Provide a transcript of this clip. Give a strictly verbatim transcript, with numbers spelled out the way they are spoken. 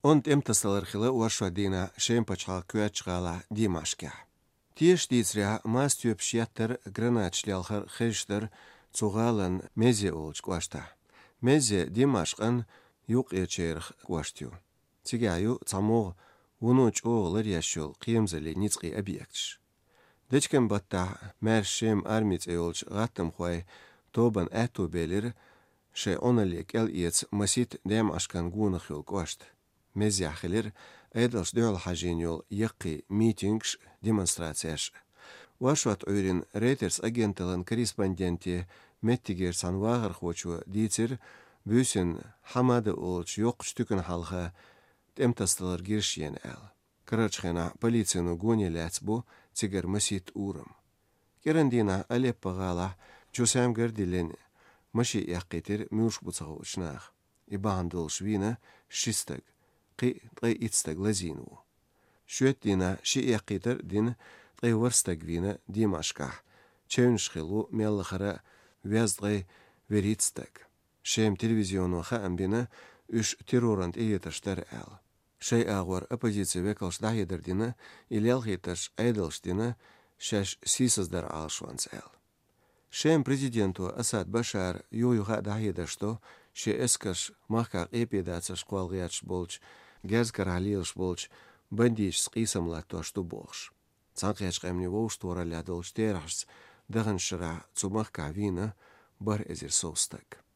Und emtasalarxila uaşadina şempaçal küaçğala Dimaşka. Tieş dizria mastüp şiyattır granaçlyalxar xeştir çoğalan meze olç quaşta. Meze Dimaşqan yuq eçerx quaştyu. Tsigayu tsamoğ unuç oğlar yaşol qiyamzali nitsqi abiyaktış. Deçken batta mer şem armiц eolç gattam xuay toban ätu belir şe onalik el iets masit Dimaşqan gunaxyol quaşt. Mezyaxilir edals döl hajin yol yaqi meetings demonstratsiyaş. Вашват öğren Reuters agentalın korrespondenti Mettiger sanvağır xoçu ditsir büsün hamada olç yoq stükün halqa temtastalar girşyen el. Karaçxena politsiyonu gonelats bu tsigar masit urum. Kerandina Aleppo gala çosam gardilen maşi yaqitir müş butsağı uçnaq. İbandol şvina şistag qi qi itstag lazinu. Şötdina şi yaqitir din qi warstag vina Dimaşka. Çewnşxilu mellaxara vyazdqi veritstag. Şem televizyonu xambina üç terrorant eyetaştar el. Şey ağvar opozisiya vekalş dahidirdina ilyalxitaş aydalşdina şaş sisazdar alşvans el. Şem prezidentu Asad Bashar yoyuğa dahidaşto şe eskaş mahkaq epidatsiyaş qualgıyaç bolç, gazkar halilş bolç, bandiş sqisamlattoştu bolş. Sanqiyaç qamni voş toralladolş terahs dağın şıra tsumahqa vina bar ezir sostag.